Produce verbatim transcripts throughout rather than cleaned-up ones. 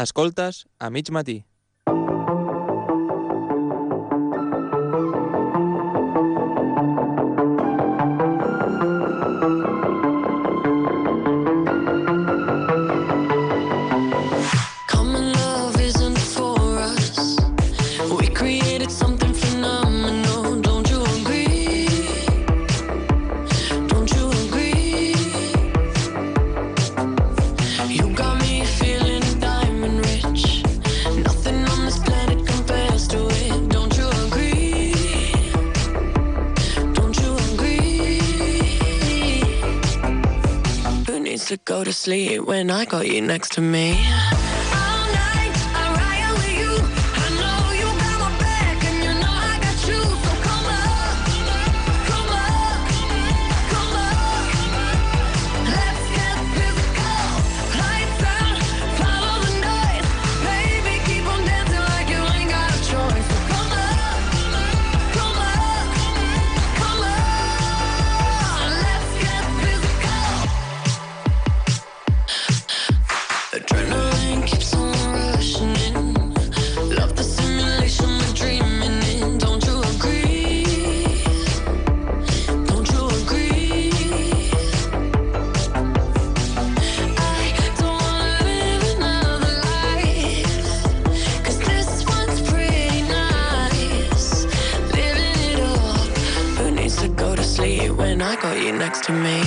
Escoltes a mig matí. To go to sleep when I got you next to me. When I got you next to me.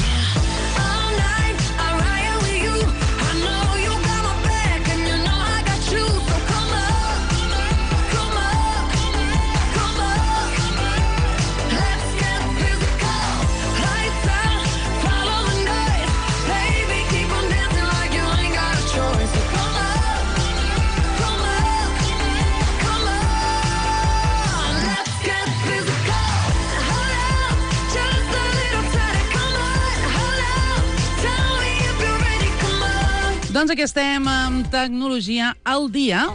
Doncs aquí estem amb Tecnologia al dia.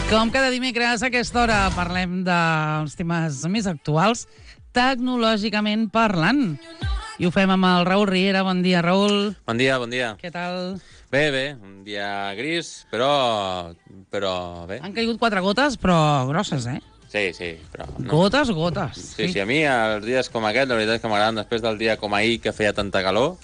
Com cada dimecres a aquesta hora parlem dels temes més actuals, tecnològicament parlant. I ho fem amb el Raül Riera. Bon dia, Raül. Bon dia, bon dia. Què tal? Bé, bé, un dia gris, però, però bé. Han caigut quatre gotes, però grosses, eh? Sí, sí, però... No. Gotes, gotes. Sí, sí, sí, a mi els dies com aquest, la veritat és que m'agraden després del dia com ahir, que feia tanta calor.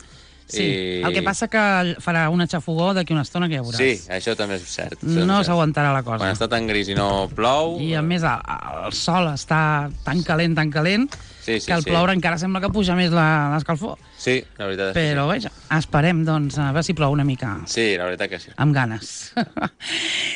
Sí, i... el que passa que farà una xafogó d'aquí una estona que ja veuràs. Sí, això també és cert. No s'aguantarà la cosa. Quan està tan gris i no plou... I a més el, el sol està tan calent, tan calent, sí, sí, que al sí. ploure encara sembla que puja més l'escalfor. Sí, la veritat és Però que sí. Però esperem, doncs, a veure si plou una mica. Sí, la veritat que sí. Amb ganes.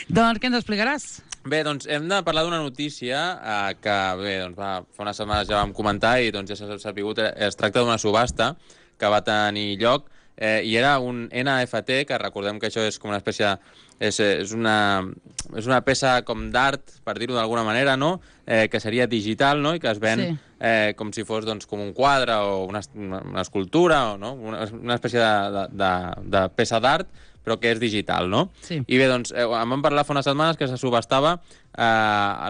Doncs què ens explicaràs? Bé, doncs hem de parlar d'una notícia eh, que, bé, doncs va, fa unes setmanes ja vam comentar i doncs ja s'ha sapigut, es tracta d'una subhasta que va tenir lloc eh, i era un N F T, que recordem que això és com una espècie, és, és, una, és una peça com d'art, per dir-ho d'alguna manera, no? Eh, que seria digital, no? I que es ven sí. eh, com si fos doncs, com un quadre o una, una escultura, o, no? una, una espècie de, de, de, de peça d'art, però que és digital, no? Sí. I bé, doncs, eh, em van parlar fa unes setmanes que se subhastava eh,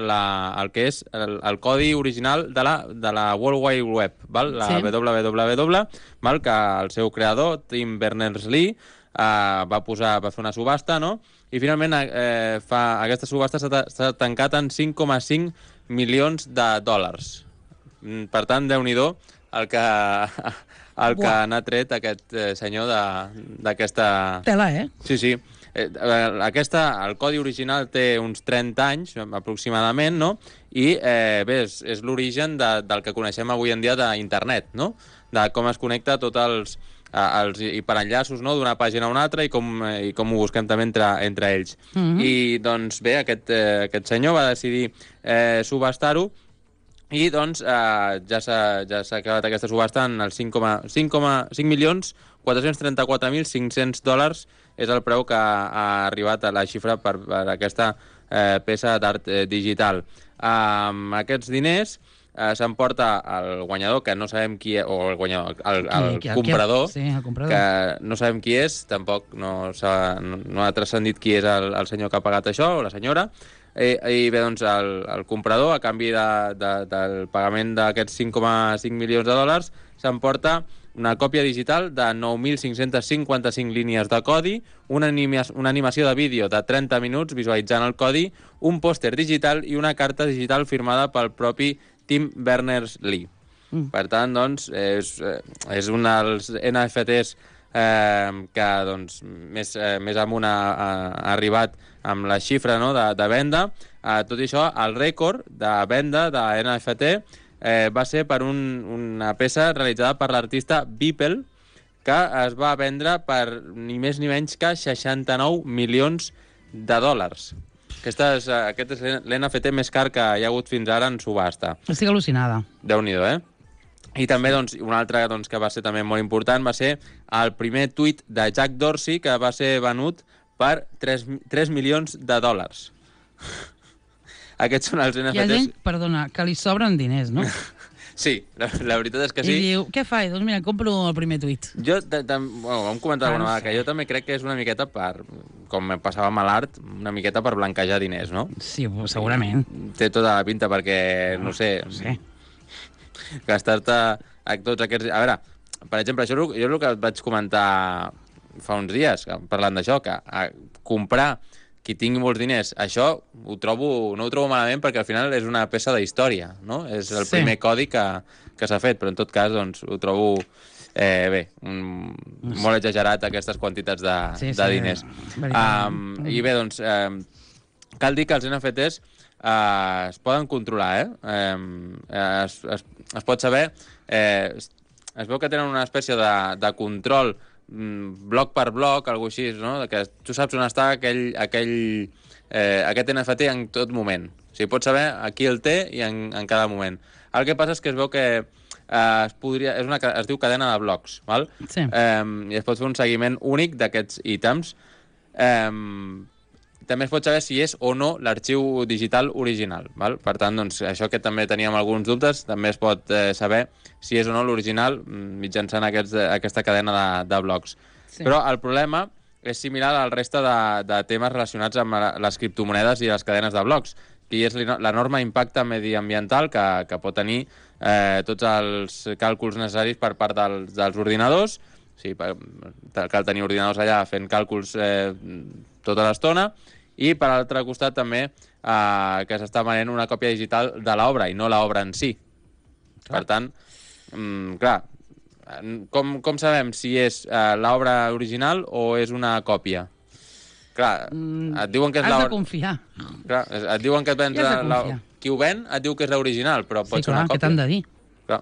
la, el que és el, el codi original de la, de la World Wide Web, val? La sí. W W W, val? Que el seu creador, Tim Berners-Lee, eh, va posar, va fer una subhasta, no? I finalment eh, fa, aquesta subhasta s'ha tancat en cinc coma cinc milions de dòlars. Per tant, Déu-n'hi-do el que... el que n'ha tret aquest eh, senyor d'aquesta... Tela, eh? Sí, sí. Eh, aquesta, el codi original té uns trenta anys, aproximadament, no? I, eh, bé, és, és l'origen de, del que coneixem avui en dia d'internet, no? De com es connecta tots els, eh, els hiperenllaços, no? D'una pàgina a una altra i com, eh, i com ho busquem també entre, entre ells. Mm-hmm. I, doncs, bé, aquest, eh, aquest senyor va decidir eh, subhastar-ho. I, doncs, eh, ja s'ha ja s'ha acabat aquesta subhasta en els cinc coma cinc milions quatre-cents trenta-quatre mil cinc-cents dòlars és el preu que ha arribat a la xifra per, per aquesta eh, peça d'art eh, digital. Amb aquests diners, eh, s'emporta el guanyador, que no sabem qui és, o el guanyador, el, el, Qui- qui- comprador, sí, el comprador. que no sabem qui és, tampoc no, s'ha, no, no ha transcendit qui és el, el senyor que ha pagat això, o la senyora. I, i bé, doncs, el, el comprador, a canvi de, de, del pagament d'aquests cinc coma cinc milions de dòlars, s'emporta una còpia digital de nou mil cinc-cents cinquanta-cinc línies de codi, una, anima, una animació de vídeo de trenta minuts visualitzant el codi, un pòster digital i una carta digital firmada pel propi Tim Berners-Lee. Mm. Per tant, doncs, és, és un dels N F Ts eh, que doncs, més, eh, més amunt ha, ha arribat amb la xifra, no?, de, de venda. Eh, tot i això, el rècord de venda de N F T eh, va ser per un, una peça realitzada per l'artista Beeple, que es va vendre per ni més ni menys que seixanta-nou milions de dòlars. Aquesta és, aquest és l'N F T més car que hi ha hagut fins ara en subhasta. Estic al·lucinada. Déu-n'hi-do, eh? I també, doncs, un altre doncs, que va ser també molt important va ser el primer tuit de Jack Dorsey, que va ser venut per tres milions de dòlars. Aquests són els N F Ts... Hi ha gent, perdona, que li sobren diners, no? Sí, la, la veritat és que sí. I diu, què fa? Doncs mira, compro el primer tuit. Jo, bueno, vam comentar alguna vegada, que jo també crec que és una miqueta per, com passava amb l'art, una miqueta per blanquejar diners, no? Sí, segurament. Té tota la pinta perquè, no sé... Sí. Gastar-te tots aquests... A veure, per exemple, això jo és el que vaig comentar fa uns dies, parlant d'això, que a comprar qui tingui molts diners, això ho trobo, no ho trobo malament perquè al final és una peça de història, no? És el Sí. primer codi que, que s'ha fet, però en tot cas doncs, ho trobo eh, bé, un, No sé. molt exagerat aquestes quantitats de, Sí, de sí, diners. veritat. Um, I bé, doncs, eh, cal dir que els N F Ts eh, es poden controlar, eh? eh es, es, es pot saber... Eh, es, es veu que tenen una espècie de, de control bloc per bloc, alguna així, no? Que tu saps on està aquell, aquell, eh, aquest N F T en tot moment. O sigui, pots saber a qui el té i en, en cada moment. El que passa és que es veu que eh, es, podria, és una, es diu cadena de blocs, val? Sí. Eh, i es pot fer un seguiment únic d'aquests ítems. Eh, també es pot saber si és o no l'arxiu digital original, val? Per tant, doncs, això que també teníem alguns dubtes, també es pot eh, saber si és o no l'original mitjançant aquests, aquesta cadena de, de blocs. Sí. Però el problema és similar al reste de, de temes relacionats amb les criptomonedes i les cadenes de blocs, que és l'enorme impacte mediambiental que, que pot tenir eh, tots els càlculs necessaris per part dels, dels ordinadors. Sí, cal tenir ordinadors allà fent càlculs eh, tota l'estona, i per l'altre costat també eh, que s'està venent una còpia digital de l'obra i no l'obra en si. Clar. Per tant, mm, clar, com, com sabem si és eh, l'obra original o és una còpia? Clar, et diuen que és Has l'obra... de confiar. Clar, et diuen que et vens I has de la... confiar. Qui ho ven et diu que és l'original, però pot Sí, ser clar, una còpia. què t'han de dir? Clar.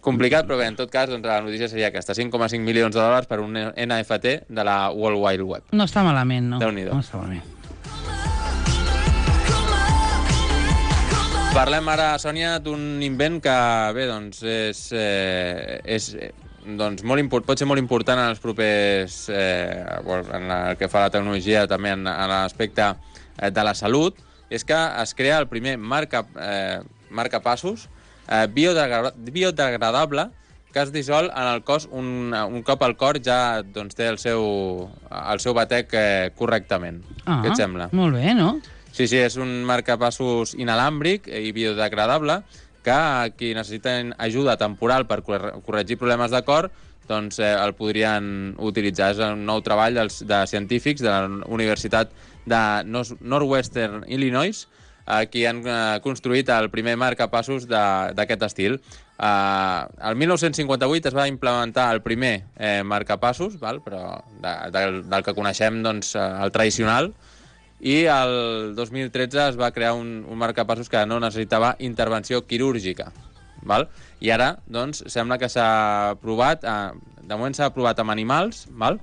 Complicat, però bé, en tot cas, doncs, la notícia seria aquesta, cinc coma cinc milions de dòlars per un N F T de la World Wide Web. No està malament, no. Déu-n'hi-do. No està malament. Parlem ara, Sònia, d'un invent que, bé, doncs, és, eh, és eh, doncs, molt import, pot ser molt important en els propers... Eh, en el que fa la tecnologia, també en, en l'aspecte eh, de la salut, és que es crea el primer marca, eh, marcapassos eh, biodegra biodegradable que es dissol en el cos un, un cop el cor ja doncs, té el seu, el seu batec eh, correctament. Ah, Què et sembla? Molt bé, no? Sí, sí, és un marcapassos inalàmbric i biodegradable que qui necessiten ajuda temporal per corregir problemes de cor doncs eh, el podrien utilitzar. És un nou treball dels, de científics de la Universitat de Northwestern Illinois eh, qui han eh, construït el primer marcapassos d'aquest estil. Eh, el mil nou-cents cinquanta-vuit es va implementar el primer eh, marcapassos, val? Però de, del, del que coneixem doncs, el tradicional, i el dos mil tretze es va crear un, un marcapassos que no necessitava intervenció quirúrgica. Val? I ara, doncs, sembla que s'ha provat, eh, de moment s'ha provat amb animals, val?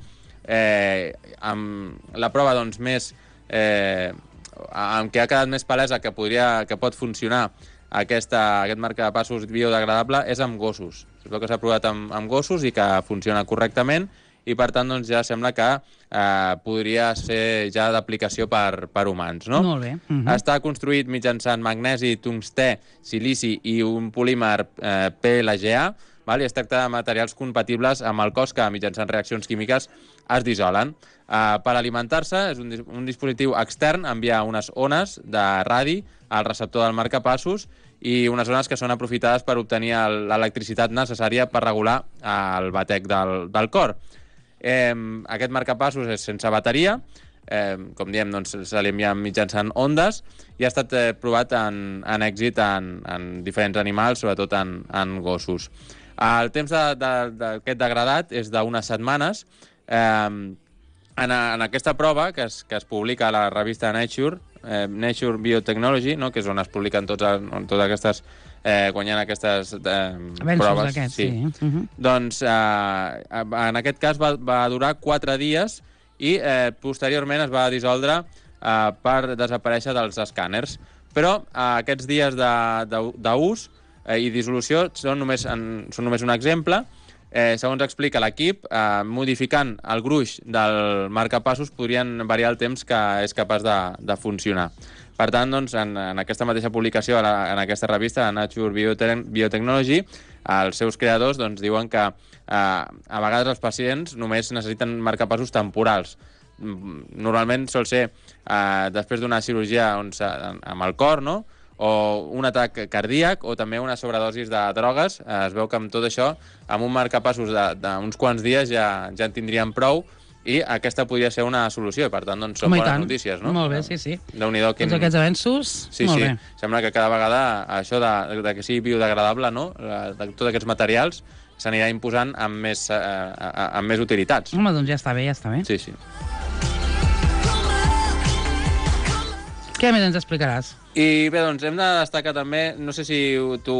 Eh, amb la prova doncs, més, eh, amb què ha quedat més palesa que, podria, que pot funcionar aquesta, aquest marcapassos biodegradable és amb gossos. Es veu que s'ha provat amb, amb gossos i que funciona correctament, i per tant doncs, ja sembla que eh, podria ser ja d'aplicació per, per humans. No? Molt bé. Uh -huh. Està construït mitjançant magnesi, tungstè, silici i un polímer eh, P L G A, val? I es tracta de materials compatibles amb el cos que mitjançant reaccions químiques es dissolen. Uh, per alimentar-se, és un, dis un dispositiu extern, envia unes ones de radi al receptor del marcapassos i unes ones que són aprofitades per obtenir l'electricitat necessària per regular uh, el batec del, del cor. Eh, aquest marcapassos és sense bateria, eh, com diem, doncs, se li envia mitjançant ondes i ha estat eh, provat en, en èxit en, en diferents animals, sobretot en, en gossos. El temps d'aquest de, de, degradat és d'unes setmanes. Eh, En, a, en aquesta prova, que es, que es publica a la revista Nature, eh, Nature Biotechnology, no? Que és on es publiquen tots, on totes aquestes, eh, quan hi ha aquestes eh, proves. Aquests, sí. sí. Uh -huh. Doncs eh, en aquest cas va, va durar quatre dies i eh, posteriorment es va dissoldre eh, per desaparèixer dels escàners. Però eh, aquests dies d'ús eh, i dissolució són només, en, són només un exemple. Eh, segons explica l'equip, eh, modificant el gruix del marcapassos podrien variar el temps que és capaç de, de funcionar. Per tant, doncs, en, en aquesta mateixa publicació, en, en aquesta revista, Nature Biotech Biotechnology, els seus creadors doncs, diuen que eh, a vegades els pacients només necessiten marcapassos temporals. Normalment sol ser eh, després d'una cirurgia on, amb el cor, no?, o un atac cardíac, o també una sobredosis de drogues. Es veu que amb tot això, amb un marcapassos d'uns quants dies ja, ja en tindríem prou, i aquesta podria ser una solució, i per tant doncs, són Home, bones notícies, no? Molt bé, sí, sí. Déu-n'hi-do quin... Tots aquests avenços, sí, molt sí. bé. Sembla que cada vegada això de, de que sigui biodegradable, no?, de tots aquests materials, s'anirà imposant amb més, eh, amb més utilitats. Home, doncs ja està bé, ja està bé. Sí, sí. Què més ens explicaràs? I bé, doncs hem de destacar també, no sé si tu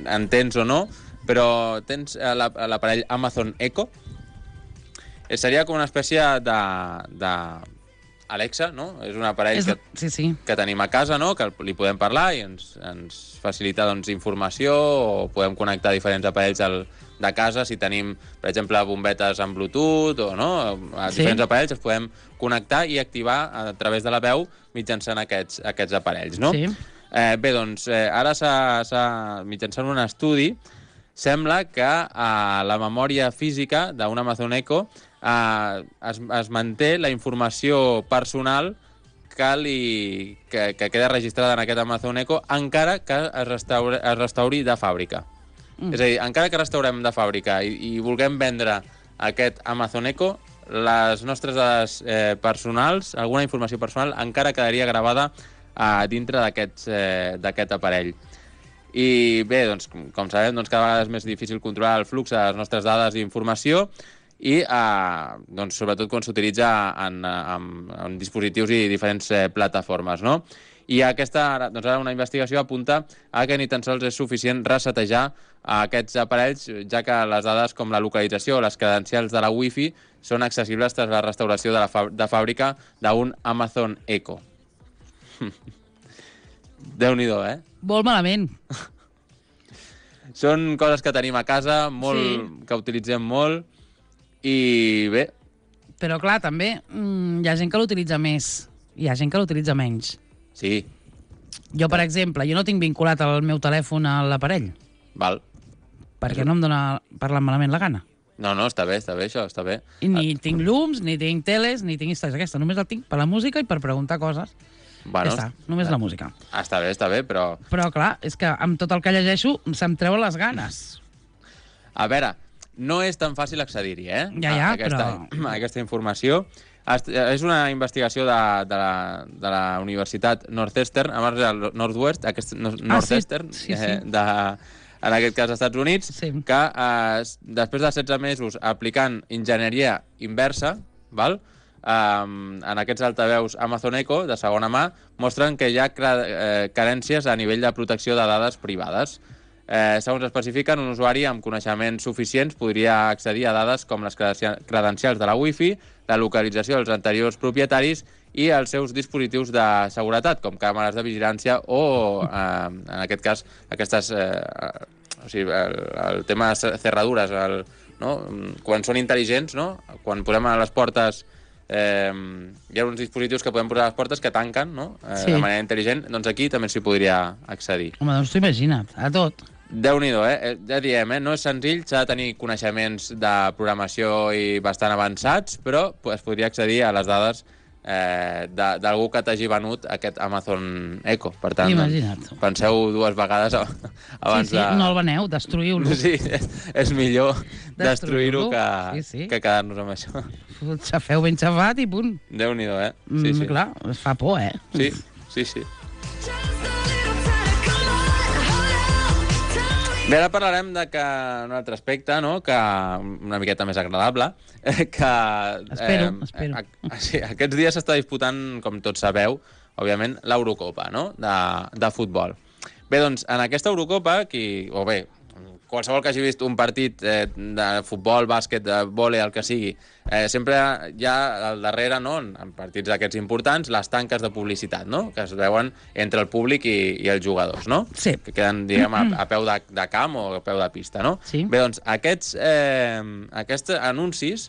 entens o no, però tens l'aparell Amazon Echo. Seria com una espècie de, de Alexa, no? És un aparell és... que, sí, sí. que tenim a casa, no?, que li podem parlar i ens, ens facilita doncs, informació, o podem connectar diferents aparells al, de casa si tenim, per exemple, bombetes amb Bluetooth, o no? A diferents sí. aparells els podem connectar i activar a través de la veu mitjançant aquests, aquests aparells, no? Sí. Eh, bé, doncs, eh, ara s'ha mitjançant un estudi, sembla que a la memòria física d'un Amazon Echo eh, es, es manté la informació personal que, li, que, que queda registrada en aquest Amazon Echo, encara que es restauri, es restauri de fàbrica. Mm. És a dir, encara que restaurem de fàbrica i, i vulguem vendre aquest Amazon Echo, les nostres dades eh, personals, alguna informació personal, encara quedaria gravada eh, dintre d'aquest eh, aparell. I bé, doncs, com sabem, doncs, cada vegada és més difícil controlar el flux de les nostres dades d'informació i eh, doncs, sobretot quan s'utilitza en, en, en dispositius i diferents eh, plataformes, no? I aquesta, doncs ara una investigació apunta a que ni tan sols és suficient resetejar aquests aparells, ja que les dades com la localització o les credencials de la Wi-Fi són accessibles tras la restauració de, la fà de fàbrica d'un Amazon Echo. Déu-n'hi-do, eh? Molt malament. Són coses que tenim a casa, molt, sí. que utilitzem molt, i bé... Però clar, també mm, hi ha gent que l'utilitza més, hi ha gent que l'utilitza menys. Sí. Jo, per exemple, jo no tinc vinculat el meu telèfon a l'aparell. Val. Perquè no em dóna parlar malament la gana. No, no, està bé, està bé, això, està bé. I ni ah. tinc llums, ni tinc teles, ni tinc històries aquesta. Només el tinc per la música i per preguntar coses. Bueno, ja està, només la música. Està bé, està bé, però... Però, clar, és que amb tot el que llegeixo se'm treuen les ganes. A veure, no és tan fàcil accedir-hi, eh? Ja, ja, a aquesta, però... a aquesta informació. És una investigació de, de, la, de la Universitat Northwestern, a marge del Northwest, aquest, Northwestern, ah, sí, sí, sí. Eh, de, en aquest cas als Estats Units, sí. que eh, després de setze mesos aplicant enginyeria inversa, val? Um, en aquests altaveus Amazon Echo de segona mà, mostren que hi ha eh, carències a nivell de protecció de dades privades. Eh, segons especifiquen, un usuari amb coneixements suficients podria accedir a dades com les credencials de la Wi-Fi, la localització dels anteriors propietaris i els seus dispositius de seguretat, com càmeres de vigilància o, eh, en aquest cas, aquestes... Eh, o sigui, el, el tema de cerradures, el, no? Quan són intel·ligents, no? Quan posem a les portes... Eh, hi ha uns dispositius que podem posar a les portes que tanquen, no? Eh, sí. De manera intel·ligent, doncs aquí també s'hi podria accedir. Home, doncs t'ho imagina't, a tot. Déu-n'hi-do, eh? Ja diem, eh? No és senzill, s'ha de tenir coneixements de programació i bastant avançats, però es podria accedir a les dades eh, d'algú que t'hagi venut aquest Amazon Echo. Per tant, doncs, penseu dues vegades abans sí, sí, de... no el veneu, destruïu-lo. Sí, és, és millor destruir-ho que, sí, sí. que quedar-nos amb això. Xafeu ben xafat i punt. Déu-n'hi-do, eh? Sí, sí. Mm, clar, es fa por, eh? Sí, sí, sí. Bé, ara parlarem de que un altre aspecte, no?, que una miqueta més agradable, que... Espero, eh, espero. A, sí, aquests dies s'està disputant, com tots sabeu, òbviament, l'Eurocopa, no?, de, de futbol. Bé, doncs, en aquesta Eurocopa, qui, o bé, qualsevol que hagi vist un partit eh, de futbol, bàsquet, de vòlei, el que sigui, eh, sempre hi ha al darrere, no, en partits d'aquests importants, les tanques de publicitat, no?, que es veuen entre el públic i, i els jugadors, no? Sí. Que queden, diguem, a, a peu de, de camp o a peu de pista, no? Sí. Bé, doncs, aquests, eh, aquests anuncis,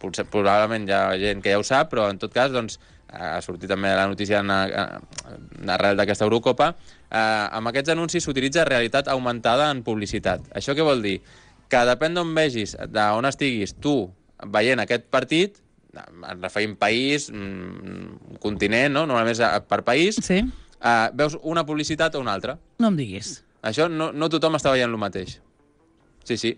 potser, probablement hi ha gent que ja ho sap, però en tot cas, doncs, ha sortit també la notícia en, en, arrel d'aquesta Eurocopa, eh, amb aquests anuncis s'utilitza realitat augmentada en publicitat. Això què vol dir? Que depèn d'on vegis, d'on estiguis tu veient aquest partit, en referim país, continent, no? Normalment per país, sí. eh, veus una publicitat o una altra. No em diguis. Això no, no tothom està veient el mateix. Sí, sí.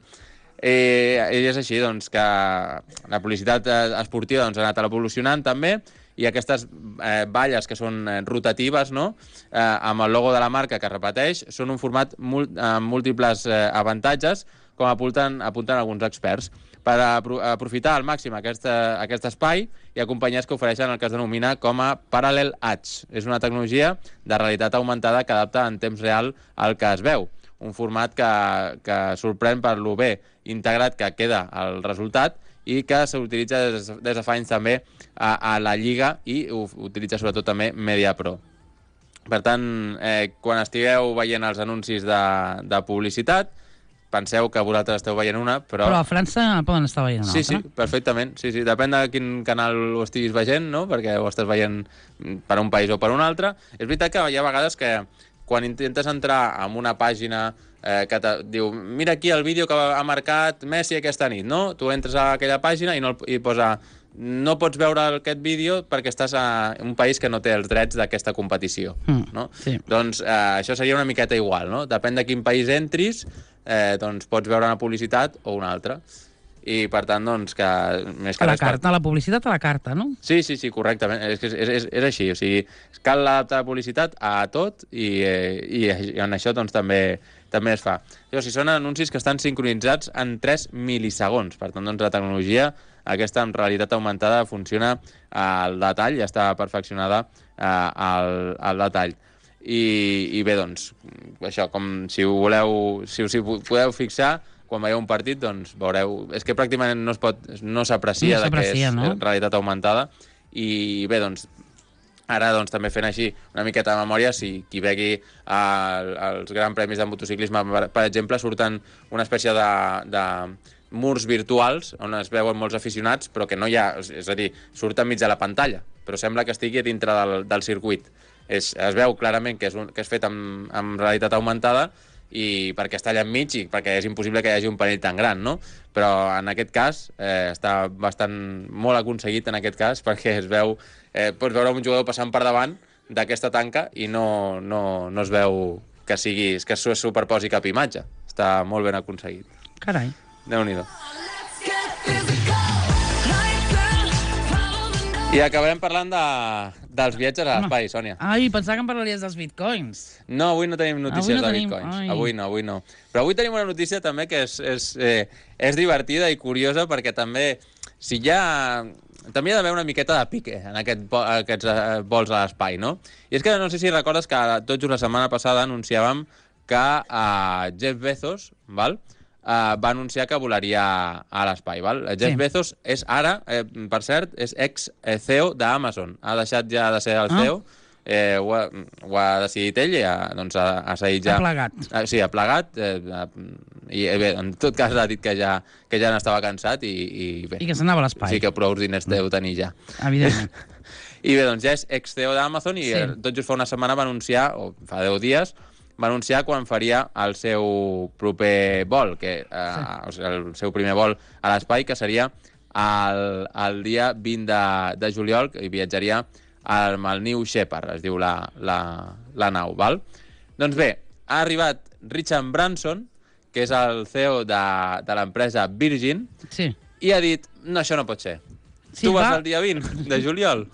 Eh, I és així, doncs, que la publicitat esportiva doncs, ha anat evolucionant també, i aquestes eh, valles que són eh, rotatives, no?, eh, amb el logo de la marca que es repeteix, són un format mul amb múltiples eh, avantatges, com apunten, apunten alguns experts. Per apro aprofitar al màxim aquest, aquest espai, hi ha companyies que ofereixen el que es denomina com a Parallel Ads. És una tecnologia de realitat augmentada que adapta en temps real al que es veu. Un format que, que sorprèn per lo bé integrat que queda el resultat i que s'utilitza des, des de fa anys també a, a la Lliga i ho utilitza sobretot també MediaPro. Per tant, eh, quan estigueu veient els anuncis de, de publicitat, penseu que vosaltres esteu veient una, però... Però a França poden estar veient una sí, altra. Sí, sí, perfectament. Sí, sí. Depèn de quin canal ho estiguis veient, no?, perquè ho estàs veient per un país o per un altre. És veritat que hi ha vegades que quan intentes entrar en una pàgina eh, que te diu, mira aquí el vídeo que ha marcat Messi aquesta nit, no? Tu entres a aquella pàgina i, no, i posa no pots veure aquest vídeo perquè estàs a un país que no té els drets d'aquesta competició, mm, no? Sí. Doncs eh, això seria una miqueta igual, no? Depèn de quin país entris, eh, doncs pots veure una publicitat o una altra. I, per tant, doncs, que... Més que a la carta, per... la publicitat a la carta, no? Sí, sí, sí, correctament. És, és, és, és així, o sigui, cal adaptar la publicitat a tot i, eh, i, i en això, doncs, també, també es fa. Llavors, si són anuncis que estan sincronitzats en tres milisegons, per tant, doncs, la tecnologia aquesta en realitat augmentada funciona al detall, ja està perfeccionada eh, al, al detall. I, I bé, doncs, això, com si ho voleu, si us hi podeu fixar, quan veieu un partit, doncs veureu... És que pràcticament no es pot, no s'aprecia no que és no? realitat augmentada. I bé, doncs, ara doncs, també fent així una miqueta de memòria, si qui vegui als Grans Premis de motociclisme, per, per exemple, surten una espècie de, de murs virtuals on es veuen molts aficionats, però que no hi ha... És a dir, surt enmig de la pantalla, però sembla que estigui dintre del, del circuit. És, es veu clarament que és, un, que és fet amb, amb realitat augmentada, i perquè està allà enmig i perquè és impossible que hi hagi un panell tan gran, no? Però en aquest cas eh, està bastant molt aconseguit en aquest cas perquè es veu, eh, pots veure un jugador passant per davant d'aquesta tanca i no, no, no es veu que sigui, que es superposi cap imatge. Està molt ben aconseguit. Carai. Déu-n'hi-do. I acabarem parlant de, dels viatges a l'espai, Sònia. Ai, pensava que em parlaries dels bitcoins. No, avui no tenim notícies avui no de tenim... bitcoins. Ai. Avui no, avui no. Però avui tenim una notícia també que és, és, eh, és divertida i curiosa perquè també, si hi ha... També hi ha d'haver una miqueta de pique en aquest, aquests eh, vols a l'espai, no? I és que no sé si recordes que tot just la setmana passada anunciàvem que eh, Jeff Bezos, val? Uh, va anunciar que volaria a l'espai, val? Jeff sí. Bezos és ara, eh, per cert, és ex-C E O d'Amazon. Ha deixat ja de ser el C E O, ah. eh, ho, ha, ho ha decidit ell i ha, doncs, ha, ha seguit ja... Ha plegat. Ah, sí, ha plegat. Eh, I bé, en tot cas ha dit que ja, que ja n'estava cansat i, i bé. I que s'anava a l'espai. Sí, que prou diners deu tenir ja. Evidentment. I bé, doncs ja és ex-C E O d'Amazon i sí. tot just fa una setmana va anunciar, o fa deu dies, va anunciar quan faria el seu proper vol, que, eh, sí. el seu primer vol a l'espai, que seria el, el dia vint de, de juliol, i viatjaria amb el New Shepard, es diu la, la, la nau, val? Doncs bé, ha arribat Richard Branson, que és el C E O de, de l'empresa Virgin, sí. i ha dit, no, això no pot ser. Sí, tu vas va... el dia vint de juliol?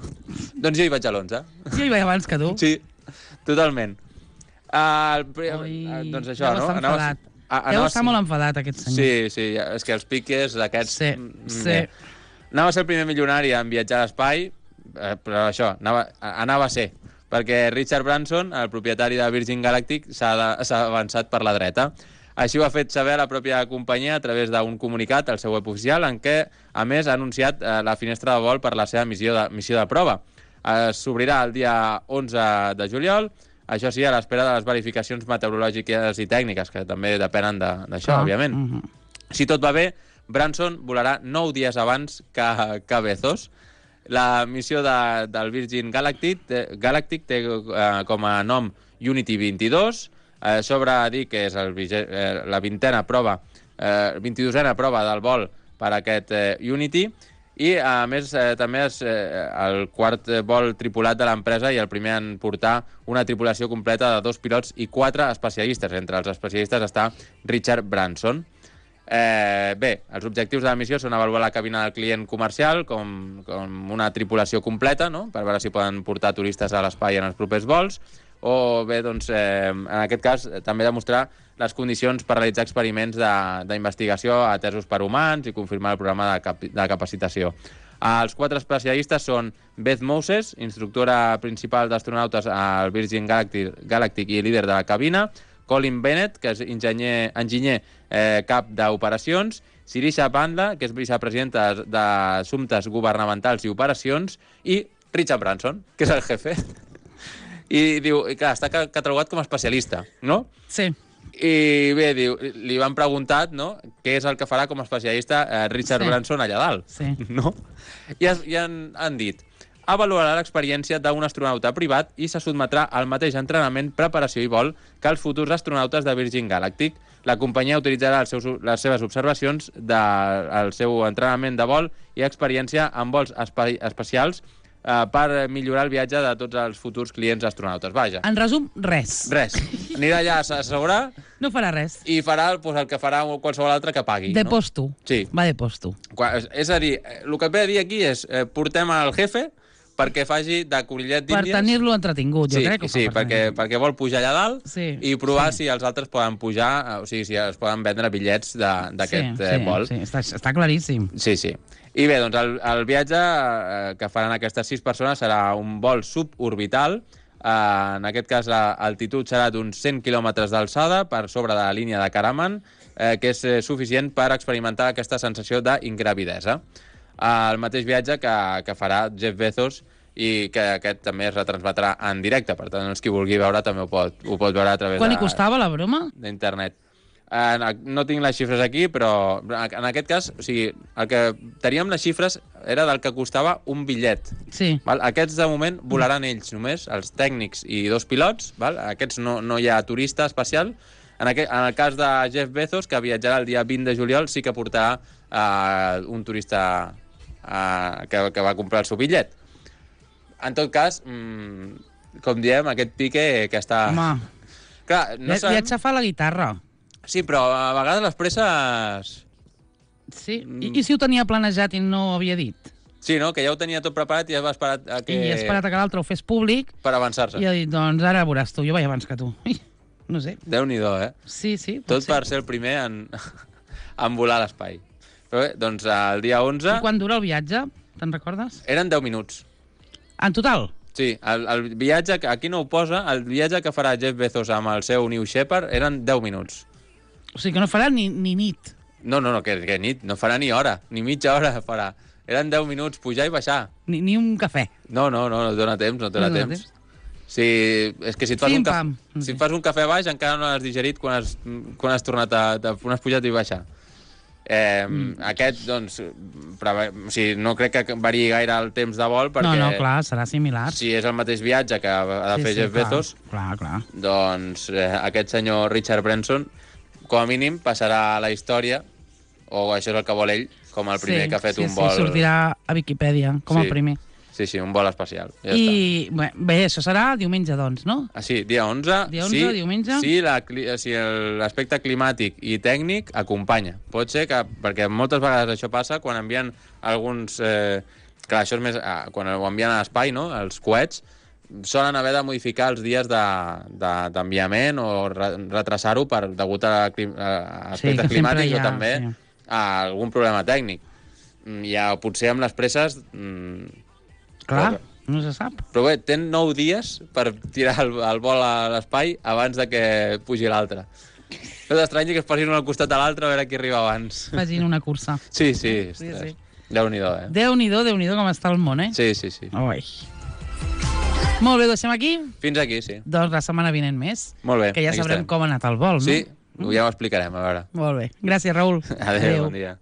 Doncs jo hi vaig a l'onze. Jo hi vaig abans que tu. Sí, totalment. Uh, Ui, doncs això, no? Anaves, a, Deu estar molt enfadat, aquest senyor. Sí, sí, és que els piques d'aquests... Sí, sí. Anava a ser el primer milionari en viatjar a l'espai, eh, però això, anava, anava a ser, perquè Richard Branson, el propietari de Virgin Galactic, s'ha avançat per la dreta. Així ho ha fet saber la pròpia companyia a través d'un comunicat al seu web oficial en què, a més, ha anunciat eh, la finestra de vol per la seva missió de, missió de prova. Eh, S'obrirà el dia onze de juliol, això sí, a l'espera de les verificacions meteorològiques i tècniques, que també depenen d'això, ah, òbviament. Uh -huh. Si tot va bé, Branson volarà nou dies abans que, que Bezos. La missió de, del Virgin Galactic, té, Galactic té eh, com a nom Unity vint-i-dos. Eh, sobre dir que és el, eh, la vintena prova, eh, vint-i-dosena prova del vol per a aquest eh, Unity, i a més eh, també és eh, el quart vol tripulat de l'empresa i el primer en portar una tripulació completa de dos pilots i quatre especialistes. Entre els especialistes està Richard Branson. Eh, bé, els objectius de la missió són avaluar la cabina del client comercial com, com una tripulació completa, no?, per veure si poden portar turistes a l'espai en els propers vols, o bé, doncs, eh, en aquest cas, també demostrar les condicions per realitzar experiments d'investigació atesos per humans i confirmar el programa de, cap de capacitació. Els quatre especialistes són Beth Moses, instructora principal d'astronautes al Virgin Galactic, Galactic i líder de la cabina, Colin Bennett, que és enginyer, enginyer eh, cap d'operacions, Sirisha Bandla, que és vicepresidenta d'Assumptes Governamentals i Operacions, i Richard Branson, que és el jefe. I diu, i clar, està catalogat com a especialista, no? Sí. I bé, diu, li van preguntat, no?, què és el que farà com a especialista eh, Richard sí. Branson allà dalt, sí. no? I, es, i han, han dit, avaluarà l'experiència d'un astronauta privat i se sotmetrà al mateix entrenament, preparació i vol que els futurs astronautes de Virgin Galactic. La companyia utilitzarà els seus, les seves observacions del seu entrenament de vol i experiència en vols espai, especials Uh, per millorar el viatge de tots els futurs clients astronautes. Vaja. En resum, res. Res. Anirà allà a assegurar... No farà res. I farà pues, el que farà qualsevol altre que pagui. De no? posto. Sí. Va de posto. És a dir, el que ve a dir aquí és eh, portem al jefe perquè faci de conillet d'Índies... Per tenir-lo entretingut, jo sí, crec. Que sí, per perquè, perquè vol pujar allà dalt sí, i provar sí. si els altres poden pujar, o sigui, si es poden vendre bitllets d'aquest sí, eh, sí, vol. Sí, està, està claríssim. Sí, sí. I bé, doncs el, el viatge eh, que faran aquestes sis persones serà un vol suborbital. Eh, en aquest cas, l'altitud serà d'uns cent quilòmetres d'alçada per sobre de la línia de Karaman, eh, que és eh, suficient per experimentar aquesta sensació d'ingravidesa. Eh, el mateix viatge que, que farà Jeff Bezos i que aquest també es retransmetrà en directe. Per tant, els qui vulgui veure també ho pot, ho pot veure a través Quan li costava la broma? d'internet. Eh, no tinc les xifres aquí, però en aquest cas, o sigui, el que teníem les xifres era del que costava un bitllet. Sí. Val? Aquests, de moment, volaran ells només, els tècnics i dos pilots. Val? Aquests no, no hi ha turista especial. En, aquest, en el cas de Jeff Bezos, que viatjarà el dia vint de juliol, sí que portarà eh, un turista eh, que, que va comprar el seu bitllet. En tot cas, mmm, com diem, aquest pique que està... Home, clar, no sabem... viatjar fa la guitarra. Sí, però a vegades les presses... Sí? I, I si ho tenia planejat i no ho havia dit? Sí, no? Que ja ho tenia tot preparat i ja va esperar a que... I ha esperat a que l'altre ho fes públic. Per avançar-se. I ha dit, doncs ara veuràs tu, jo vaig abans que tu. No sé. Déu-n'hi-do, eh? Sí, sí. Tot ser. Per ser el primer en, en volar a l'espai. Però bé, doncs el dia onze... I quan dura el viatge? Te'n recordes? Eren deu minuts. En total? Sí, el, el viatge, aquí no ho posa, el viatge que farà Jeff Bezos amb el seu New Shepard eren deu minuts. O sigui que no farà ni, ni nit. No, no, no, que, que nit, no farà ni hora, ni mitja hora farà. Eren deu minuts, pujar i baixar. Ni, ni un cafè. No, no, no, no dona temps, no dona, no dona temps. temps. Sí, és que si et fas, un, Pim-pam. cafè, si et fas un cafè baix encara no l'has digerit quan has, quan has tornat a... quan has pujat i baixar. Eh, mm. Aquest, doncs, preve... o sigui, no crec que variï gaire el temps de vol perquè... No, no, clar, serà similar. Si és el mateix viatge que ha de Sí, fer sí, Jeff clar, Bezos, clar, clar. doncs eh, aquest senyor Richard Branson, com a mínim, passarà a la història, o això és el que vol ell, com el primer sí, que ha fet sí, un vol... Sí, sortirà a Viquipèdia, com Sí. el primer. Sí, sí, un vol espacial. Ja I està. bé, bé, això serà diumenge, doncs, no? Ah, sí, dia onze. Dia onze, sí, diumenge. Sí, la, cli- si l'aspecte climàtic i tècnic acompanya. Pot ser que, perquè moltes vegades això passa quan envien alguns... Eh, clar, això és més... Ah, quan ho envien a l'espai, no?, els coets, solen haver de modificar els dies d'enviament de, de, o re, retrasar-ho per degut a, clim, a aspectes que sempre climàtics hi ha, o també sí. a algun problema tècnic. Mm, Ja, potser amb les presses... Mm, Clar, no se sap. però bé, ten nou dies per tirar el, el vol a l'espai abans de que pugi l'altre. És estrany que es passin un al costat de l'altre a veure qui arriba abans. Facin una cursa. Sí, sí, Sí, ostres. sí. Déu-n'hi-do, eh? Déu-n'hi-do, Déu-n'hi-do com està el món, eh? Sí, sí, sí. Ui. Molt bé, ho deixem aquí? Fins aquí, sí. Doncs la setmana vinent més. Molt bé. Que ja aquí sabrem estarem. com ha anat el vol, no? Sí, ja ho explicarem, a veure. Molt bé. Gràcies, Raül. Adéu, bon dia.